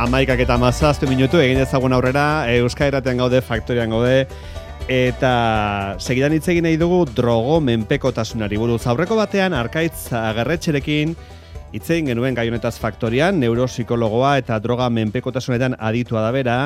11:17 egin ezagun aurrera, Euskal Irratian gaude, Faktorian gaude, eta segidan hitz egin nahi dugu drogo menpekotasunari buruz. Aurreko batean, Arkaitz Agerretxerekin hitz egin genuen gai honetaz Faktorian, neuropsikologoa eta droga menpekotasunetan aditua da bera,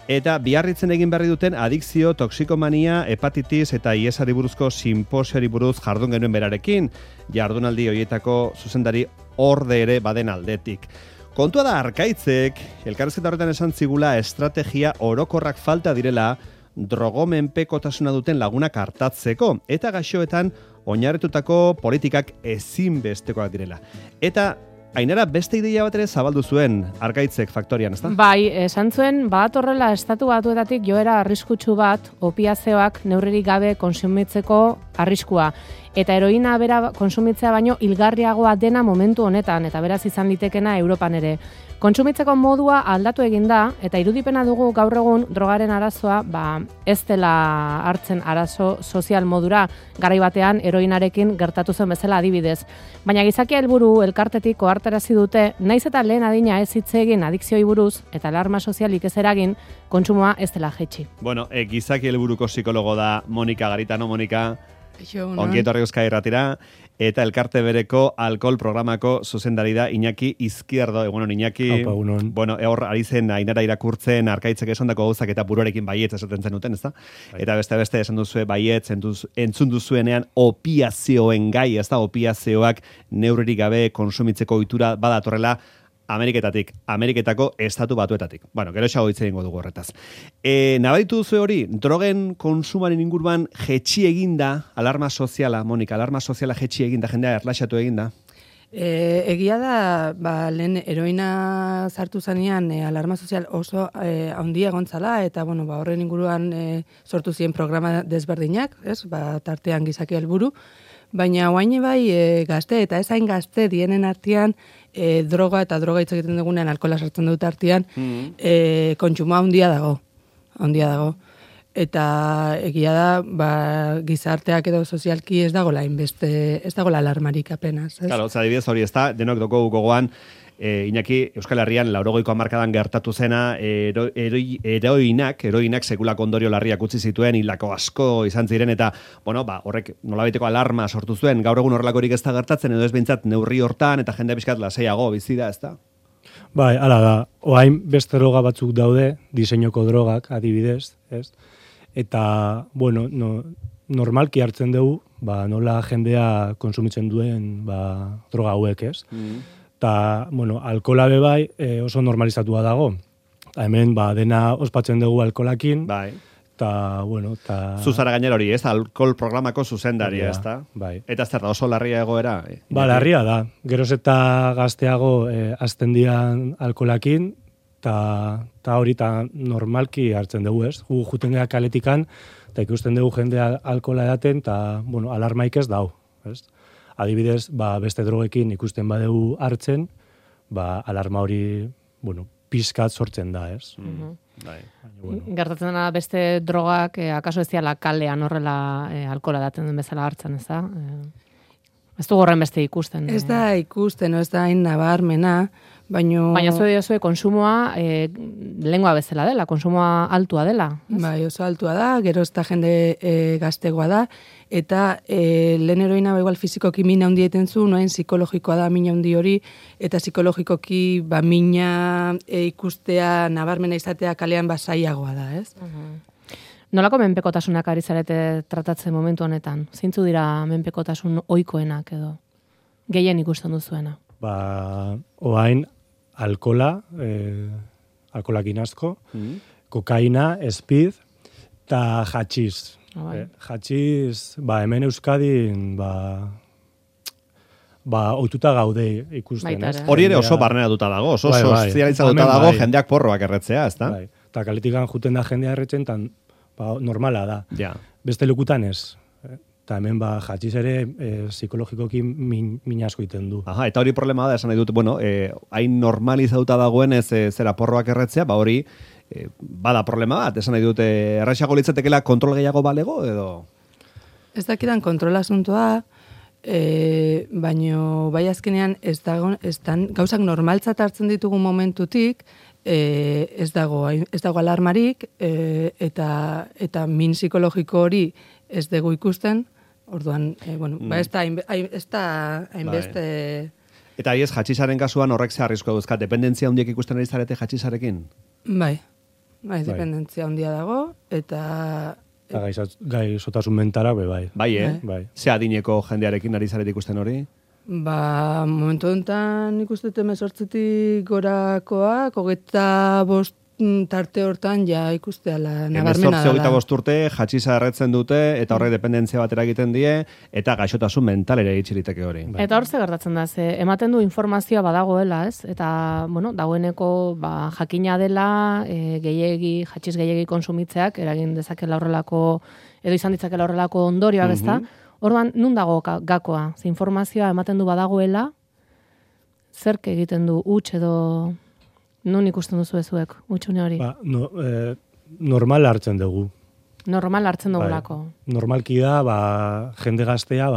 eta biarritzen egin berri duten adikzio, toksikomania, hepatitis eta iesari buruzko simposiori buruz jardun genuen berarekin, jardunaldi horietako zuzendari orde ere baden aldetik. Kontua da Arkaitzek, elkarrizketa horretan esan zigula estrategia orokorrak falta direla drogomenpekotasuna duten lagunak hartatzeko, eta gaixoetan oinarritutako politikak ezinbestekoak direla. Eta Ainara, beste ideia bat ere zabaldu zuen Arkaitzek Faktorian, ezta? Bai, esan zuen, horrela estatu batuetatik joera arriskutsu bat, opiazioak neurririk gabe konsumitzeko arriskua. Eta heroina bera konsumitzea baino hilgarriagoa dena momentu honetan, eta beraz izan litekena Europan ere. Kontsumitzeko modua aldatu egin da, eta irudipena dugu gaur egun drogaren arazoa ez dela hartzen arazo sozial modura, garai batean heroinarekin gertatu zen bezala adibidez. Baina gizakia helburu elkartetik ohartarazi dute, naiz eta lehen adina ez hitz egin adikzioi buruz eta alarma sozialik ez eragin, kontsumoa ez dela jaitsi. Bueno, gizaki helburuko psikologo da Monika Garitano. Monika, ongi etorri Euskal Irratira, eta elkarte bereko alkohol programako zuzendari da Iñaki Izquierdo. Egunon, Iñaki. Bueno, hor ari zen Ainara irakurtzen Arkaitzek esandako gauzak eta buruarekin baietz esaten zenuten, ezta? Eta beste esan duzue baietz, entzun duzuenean opiazioen gai, ezta? Opiazioak neurririk gabe konsumitzeko ohitura badatorrela Ameriketako estatu batuetatik. Bueno, gero esago hitz egingo dugu horretaz. Nabaritu duzu hori, drogen konsumaren inguruan jetxi eginda, alarma soziala, Monika, alarma soziala jetxi eginda, jendea erlaxatu eginda? Egia da, lehen heroina sartu zanean alarma sozial oso handia egontzala, eta horren inguruan sortu ziren programa desberdinak, tartean gizaki helburu, baina oain bai gazte eta ezain gazte dienen artean droga eta droga hitz egiten dugunean alkohola sartzen dut artean kontsumoa handia dago. Eta egia da, gizarteak edo sozialki ez dagoela alarmarik apenas. Claro, adibidez hori ez da, denok doko gogoan, Iñaki, Euskal Herrian 80ko hamarkadan gertatu zena heroinak sekulako ondorio larriak utzi zituen, hilako asko izan ziren, eta horrek nolabaiteko alarma sortu zuen. Gaur egun horrelakorik ez da gertatzen, edo ez behintzat neurri hortan, eta jende pixkat lasaiago bizi da, ez da? Bai, hala da. Oain beste droga batzuk daude, diseinoko drogak adibidez, ez? Eta, normalki hartzen dugu, nola jendea konsumitzen duen droga hauek, ez? Eta, alkohola bai oso normalizatua dago. Hemen, dena ospatzen dugu alkoholakin. Bai. Eta, Zuzara gainera hori, ez? Alkohol programako zuzendaria, ez da? Bai. Eta zer da, oso larria egoera? Larria da. Geroz eta gazteago azten dian alkoholakin, eta hori normalki hartzen dugu, ez? Juten gara kaletikan, eta ikusten dugu jendea alkohola edaten, eta, alarmaik ez dau, ez? Adibidez, beste drogekin ikusten badegu hartzen, alarma hori, pizkat sortzen da, ez? Gertatzen dena beste drogak, akaso ez diala kalean horrela alkohola daten den bezala hartzen, ez da? Ez du gorren beste ikusten. Ez da ikusten, ez da hain nabarmena, baina zue konsumoa lengua bezala dela, konsumoa altua dela. Bai, oso altua da, gero ez da jende gaztegoa da, eta lehen heroina igual fizikoki mina handi eten zu, noen psikologikoa da mina handi hori, eta psikologikoki mina ikustea, nabarmena izatea kalean zailagoa da, ez? Nolako menpekotasunak ari zarete tratatzen momentu honetan? Zeintzu dira menpekotasun ohikoenak edo? Gehien ikusten duzuena? Oain, alkola, alkolakin asko, kokaina, speed, eta hatxiz. Hatxiz, hemen Euskadin, ohituta gaude ikusten, ez? Hori ere oso barneratuta dago, oso sozializatuta dago jendeak porroak erretzea, ez da? Eta kaletikan juten da jendea erretzen, normala da. Beste lekutan ez. Eta hemen jatxiz ere psikologikoki min asko iten du. Eta hori problema da, esan nahi dut, hain normalizatuta dagoen ez zera porroak erretzea, hori bada problema bat, esan nahi dut, erraixago litzatekela kontrol gehiago balego, edo? Ez dakidan kontrol asuntoa, baino bai azkenean gauzak normaltzat hartzen ditugu momentutik, ez dago alarmarik, eta min psikologiko hori ez dugu ikusten, orduan, ez da hainbeste... Eta ez, jatxisaren kasuan horrek ze arriskoa duzka, dependentzia handiek ikusten ari zarete jatxisarekin? Bai, dependentzia handia dago, eta gaizotasun mentala, bai. Bai. Ze adineko jendearekin ari zarete ikusten hori? Momentu honetan ikustete 18 gorakoak, 25 tarte hortan ja ikusteala nabarmena dela. 18-25 urte jatxisa erretzen dute, eta horrek dependentzia batera egiten die, eta gaixotasun mentalera itxiriteke hori. Eta hor ze gertatzen da, ematen du informazioa badagoela, ez? Eta, dagoeneko jakina dela, jatxiz gehiegi konsumitzeak, eragin dezakela horrelako, edo izan ditzakela horrelako ondorioak, ez da? Orduan, nun dago gakoa? Ze informazioa ematen du badagoela, zerk egiten du huts edo... Nun ikusten duzu ezuek, utxune hori? Normal hartzen dugu. Normal hartzen dugulako. Normalki da, jende gaztea,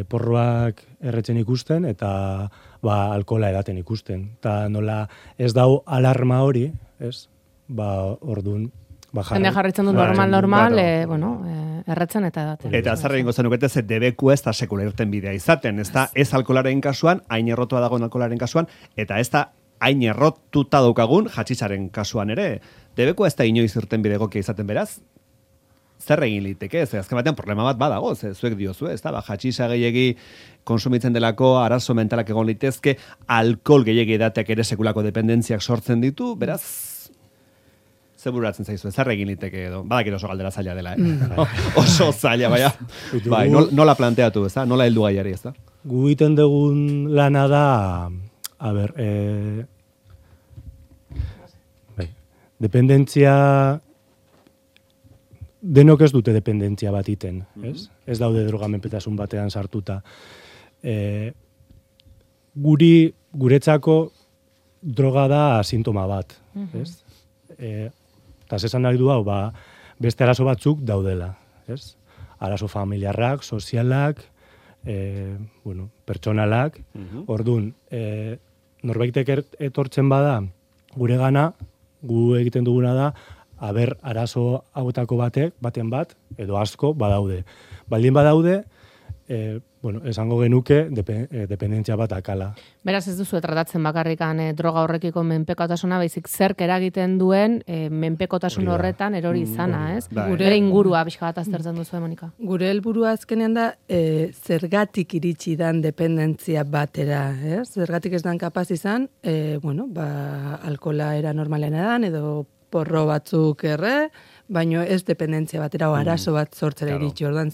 porroak erretzen ikusten, eta alkohola edaten ikusten. Eta nola ez dau alarma hori, ez? Orduan... Jende jarritzen du normal, erretzen eta edaten. Eta zarra ingo zenukete, ze debeku ez da sekula irten bidea izaten. Ez da, ez alkoholaren kasuan, hain errotua dagoen alkoholaren kasuan, eta ez da, hain errotuta daukagun jatxisaren kasuan ere. Debeku ez da inoiz irten bide egokia izaten beraz, zer egin liteke, ze azken batean problema bat badago, ze zuek diozu, ez da, jatxisa gehiegi konsumitzen delako, arazo mentalak egon litezke, alkohol gehiegi edateak ere sekulako dependentziak sortzen ditu, beraz, ze bururatzen zaizu, zer egin liteke edo, badakit oso galdera zaila dela, oso zaila, bai, nola planteatu, ez da, nola heldu gaiari, ez da? Gu iten dugun lana da, dependentzia, denok ez dute dependentzia bat iten, ez? Ez daude drogamenpetasun batean sartuta. Guretzako droga da sintoma bat, ez? Eta zesan nahi du hau, beste arazo batzuk daudela, ez? Arazo familiarrak, sozialak, pertsonalak, orduan, norbaitek etortzen bada gure gana, gu egiten duguna da, arazo hauetako baten bat, edo asko badaude. Baldin badaude, esango genuke dependentzia bat akala. Beraz ez duzu tratatzen bakarrikan droga horrekiko menpekotasuna, baizik zerk eragiten duen menpekotasun horretan erori izana, ez? Gure ingurua pixka bat aztertzen duzu, Monika. Gure helburua azkenean da, zergatik iritsi dan dependentzia batera, ez? Zergatik ez dan kapaz izan, alkola era normalena dan, edo porro batzuk baino ez dependentzia batera o arazo bat sortzera iritsi. Orduan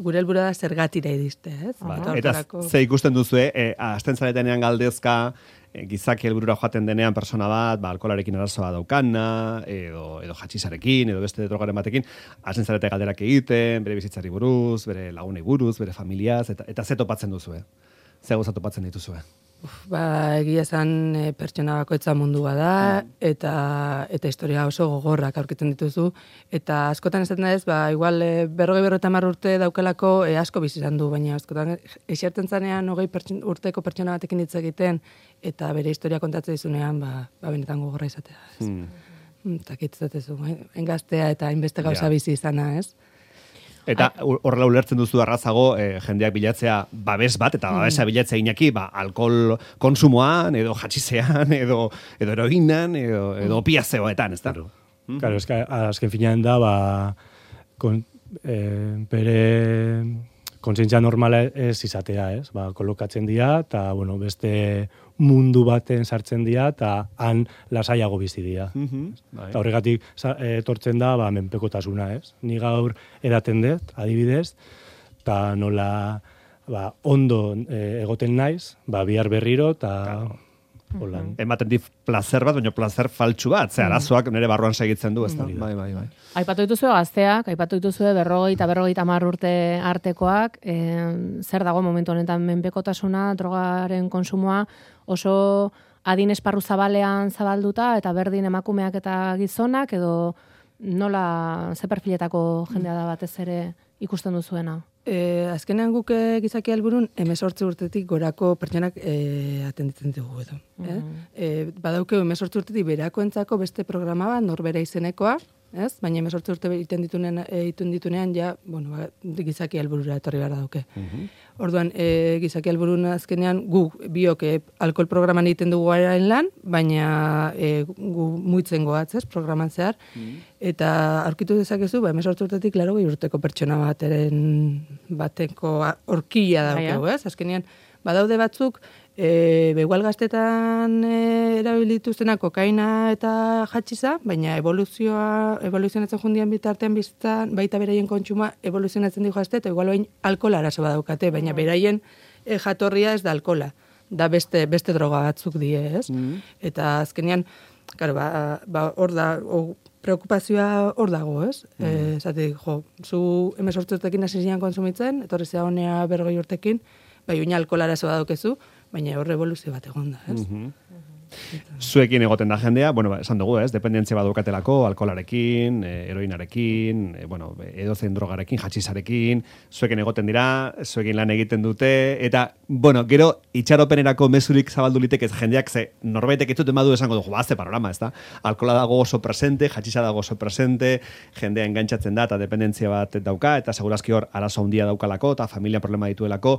gure helburua da zergatira iriste, ez? Eta ze ikusten duzu, hasten zaretenean galdezka, gizaki helburura joaten denean persona bat, alkoholarekin arazoa daukana, edo jatxisarekin, edo beste drogaren batekin, hasten zarete galderak egiten, bere bizitzari buruz, bere lagunei buruz, bere familiaz, eta ze topatzen duzu, ze gauza topatzen dituzue. Egia esan pertsona bakoitza mundua da, eta historia oso gogorrak aurkitzen dituzu, eta askotan esaten da ez, igual 50 urte daukelako asko bizi izan du, baina askotan eserten zanean 20 urteko pertsona batekin hitz egiten, eta bere historia kontatzen dizunean, benetan gogorra izatea. Eta kitzatezu, engaztea eta hainbeste gauza bizi izana, ez? Eta horrela ulertzen duzu arrazago jendeak bilatzea babes bat, eta babesa bilatzea inaki, alkohol konsumoan, edo jatxisean, edo eroginan, edo opiazeoetan, ez da? Claro, azken finean da, bere kontzientzia normala ez izatea, ez? Kolokatzen dira, eta, beste mundu baten sartzen dira, eta han lasaiago bizi dira. Eta horregatik etortzen da, menpekotasuna, ez? Ni gaur edaten dut, adibidez, eta nola ondo egoten naiz, bihar berriro, eta... Ematen di placer bat, baina placer faltsu bat, ze arazoak nire barruan segitzen du, ez da? Bai. Aipatu dituzue gazteak, aipatu dituzue 40 urte artekoak, zer dago momentu honetan menpekotasuna, drogaren konsumoa, oso adin esparru zabalean zabalduta, eta berdin emakumeak eta gizonak, edo nola ze perfiletako jendea da batez ere ikusten duzuena? azkenean guk gizaki helburun 18 urtetik gorako pertsonak atenditzen dugu edo. Badauke 18 urtetik berakoentzako beste programa bat, norbera izenekoa, ez? Baina 18 urte egiten ditunean ja, bueno, gizaki helburura etorri behar dauke. Orduan, gizaki helburun azkenean guk biok alkohol programan egiten dugu garen lan, baina gu muitzen goatz, ez, programan zehar, eta aurkitu dezakezu, 18 urtetik, klaro, urteko pertsona bateko horkila daukegu, ez? Azkenean, badaude batzuk, begual gaztetan erabilituztena kokaina eta jatxiza, baina evoluzionatzen jundian bitartean biztan, baita beraien kontsuma evoluzionatzen dijo azte, eta igual bain alkohola arazo badaukate, baina beraien jatorria ez da alkohola, da beste droga batzuk die, ez? Eta azkenean, claro, hor da, preokupazioa hor dago, ez? Zatik, zu 18 urtekin hasi zian konsumitzen, etorri zea honea 40 urtekin, bai, oina alkohola arazo badaukezu, baina horre evoluzio bat egon da, ez? Zuekin egoten da jendea, bueno, esan dugu, ez? Dependentzia badukatelako, alkoholarekin, heroinarekin, bueno, edozein drogarekin, jatxizarekin, zuekin egoten dira, zuekin lan egiten dute, eta, bueno, gero, itxaropenerako mezurik zabaldu litekez jendeak, ze norbaitek ez dut emadu esango dugu, ze panorama, ez da? Alkohola dago oso presente, jatxiza dago oso presente, jendea engantzatzen da, eta dependentzia bat dauka, eta segurazki hor, arazo handia daukalako, eta familia problema dituelako,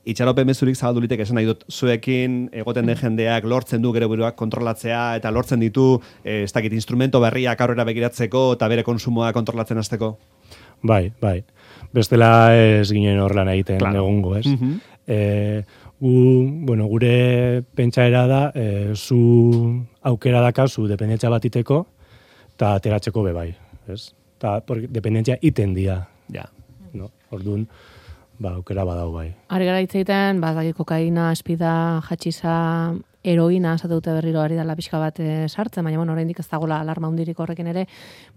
itxaropen mezurik zabaldu litek esan nahi dut, zuekin egoten den jendeak lortzen du gero buruak kontrolatzea eta lortzen ditu, ez dakit, instrumento berriak aurrera begiratzeko eta bere konsumoa kontrolatzen hasteko? Bai. Bestela ez ginen horrelan egiten egongo, ez? Gure pentsaera da, zu aukera dakazu dependentzia bat iteko, eta ateratzeko bebai, ez? Eta dependentzia iten dia. Ja. No? Orduan, aukera badau bai. Ari gara hitz egiten, kokaina, espida, jatxiza, heroina, esatute berriro ari dela pixka bat sartzen, baina oraindik ez dagoela alarma hundirik horrekin ere,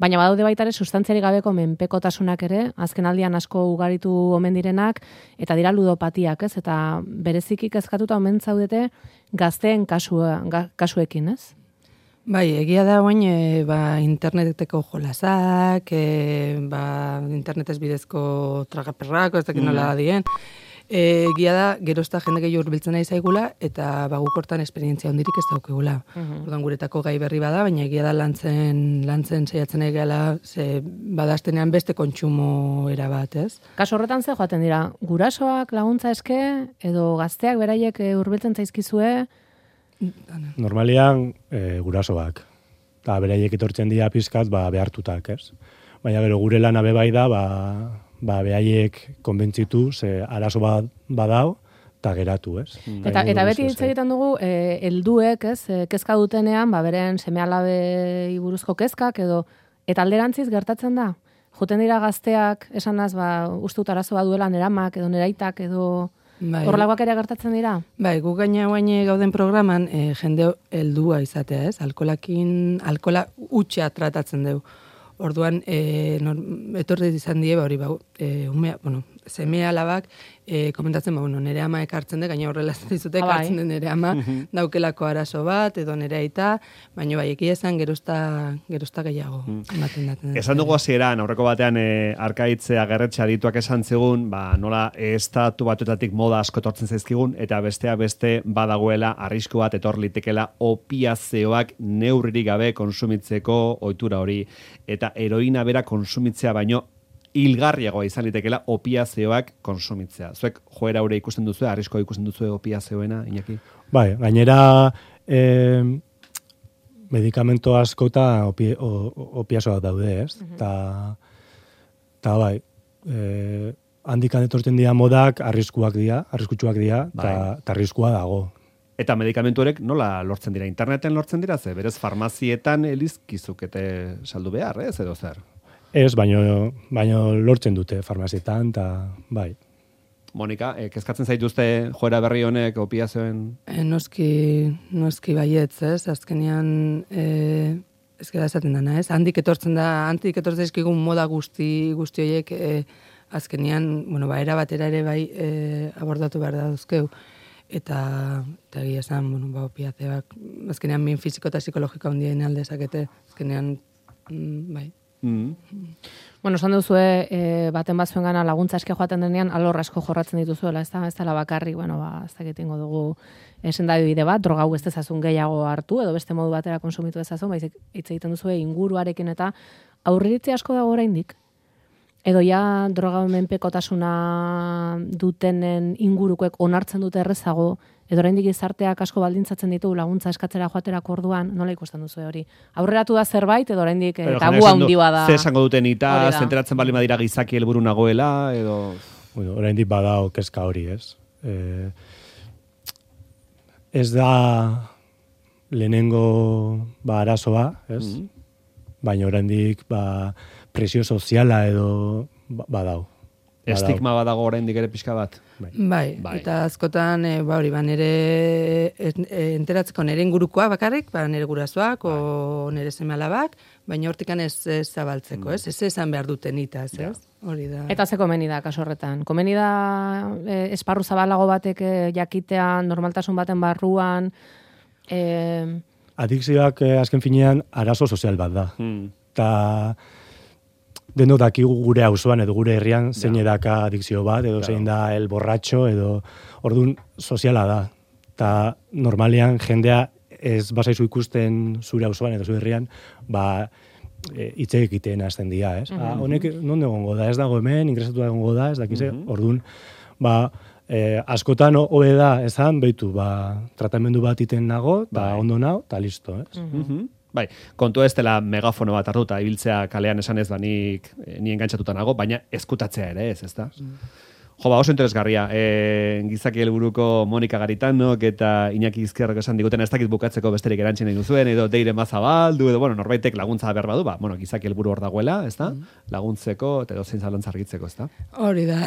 baina badaude baita ere sustantziarik gabeko menpekotasunak ere, azken aldian asko ugaritu omen direnak, eta dira ludopatiak, ez? Eta bereziki kezkatuta omen zaudete gazteen kasuekin, ez? Bai, egia da oain, interneteko jolasak, internetez bidezko tragaperrak, ez dakit nola dien. Egia da, gerozta jende gehiago urbiltzen nahi zaigula, eta guk hortan esperientzia hondirik ez daukegula. Orduan guretako gai berri bada, baina egia da lantzen saiatzen egala, ze badaztenean beste kontsumo era bat, ez? Kaso horretan ze joaten dira, gurasoak laguntza eske, edo gazteak beraiek urbiltzen zaizkizue? Normalian gurasoak. Eta beraiek etortzen dira pizkat behartutak, ez? Baina gero gure lana bebai da, behaiek konbentzitu, ze arazo badau, eta geratu, ez? Eta beti hitz egiten dugu, helduek, ez, kezka dutenean, beren seme-alabei buruzko kezkak, eta alderantziz gertatzen da? Joten dira gazteak, esanaz, ustut arazo bat duela neramak, edo neraitak, edo horrelakoak ere gertatzen dira? Bai, guk gaina gauden programan, jende heldua izatea, ez? Alkola utxea tratatzen dugu. Orduan, etorri izan die, seme alabak, komentatzen, nere ama ekartzen de, gaina horrela zizute ekartzen den nere ama, daukelako arazo bat, edo nere aita, baina bai, ekia esan gerozta gehiago. Esan dugu hasieran aurreko batean, Arkaitzea Gerretxe adituak esan zigun, nola estatu batuetatik moda asko etortzen zaizkigun, eta beste badagoela arrisku bat etor litekela opiazioak neurririk gabe konsumitzeko ohitura hori, eta heroina bera konsumitzea baino hilgarriagoa izan litekela opiazioak konsumitzea. Zuek joera hori ikusten duzu, arriskoa ikusten duzu opiazioena, Iñaki? Bai, gainera medikamento asko eta opiazioak daude, ez? Eta bai, handikan etortzen dira modak arriskutsuak dira, eta arriskua dago. Eta medikamentu horrek nola lortzen dira? Interneten lortzen dira, ze berez farmazietan elizkizukete saldu behar, ez edo zer? Ez, baino lortzen dute farmazietan, eta bai. Monika, kezkatzen zaituzte joera berri honek opiazioen? Noski baietz, ez? Azkenean, ez gara esaten dana, ez? Handik etortzen ezkigun moda guzti horiek, azkenean, era batera ere bai abordatu behar da duzkeu. Eta egia esan, opiazioak, azkenean min fisiko eta psikologiko handien aldezakete, azkenean, bai. Bueno, esan duzue, baten batzuen gana laguntza eske joaten denean, alor asko jorratzen dituzuela, ez da bakarrik, ez dakit ingo dugu sendabide bat, droga hau ez dezazun gehiago hartu, edo beste modu batera konsumitu dezazun, baizik hitz egiten duzue inguruarekin eta aurriritzi asko dago oraindik. Edo ja droga menpekotasuna dutenen ingurukoek onartzen dute errezago, edo oraindik gizarteak asko baldintzatzen ditu laguntza eskatzera joaterako orduan, nola ikusten duzu hori? Aurreratu da zerbait edo oraindik tabu handi bada. Ze esango duten ita, zenteratzen bali badira gizaki helburu nagoela edo bueno, oraindik badao kezka hori, ez? Ez da lehenengo arazoa, ez? Baina oraindik presio soziala edo badau. Estigma badago oraindik ere pixka bat. Bai. Eta askotan hori nere enteratzeko nere ingurukoa bakarrik, nere gurasoak o nere seme-alabak, baina hortikan ez zabaltzeko, ez? Ez esan behar duten itaz, ez? Hori da. Eta ze komeni da kaso horretan? Komeni da esparru zabalago batek jakitea normaltasun baten barruan adikzioak azken finean arazo sozial bat da. Ta denok dakigu gure auzoan edo gure herrian zein edaka adikzio bat, edo zein da el borratxo, edo orduan soziala da. Ta normalean jendea ez basaizu ikusten zure auzoan edo zure herrian, hitz egiten hasten dira, ez? Honek non egongo da, ez dago hemen, ingresatu egongo da, ez dakize, orduan, askotan hobe da, esan, behitu, tratamendu bat iten nago, ondo nao, eta listo, ez? Bai, kontu ez dela megafono bat hartuta, ibiltzea kalean esan ez nik ni engantzatuta nago, baina ezkutatzea ere ez, ezta? Oso interesgarria. Gizaki helburuko Monika Garitanok eta Iñaki Izquierrok esan diguten ez dakit bukatzeko besterik erantzien egin duzuen, edo Deire Mazabaldu, edo norbaitek laguntza behar badu, gizaki helburu hor dagoela, ezta? Laguntzeko, eta edozein zalantza argitzeko, ezta? Hori da,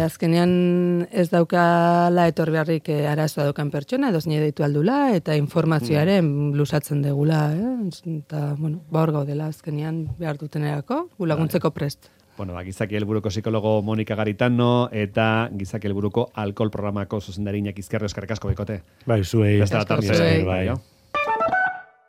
azkenean ez daukala etorri beharrik arazoa daukan pertsona, edo zine deitu aldula, eta informazioaren lusatzen degula, eta, hor gaudela azkenean behar dutenerako, laguntzeko prest. Gizaki helburuko psikologo Monika Garitano eta Gizaki helburuko alkohol programako zuzendari Iñaki Izquierro eskerrik asko bikote. Zuei. Beste la tarde.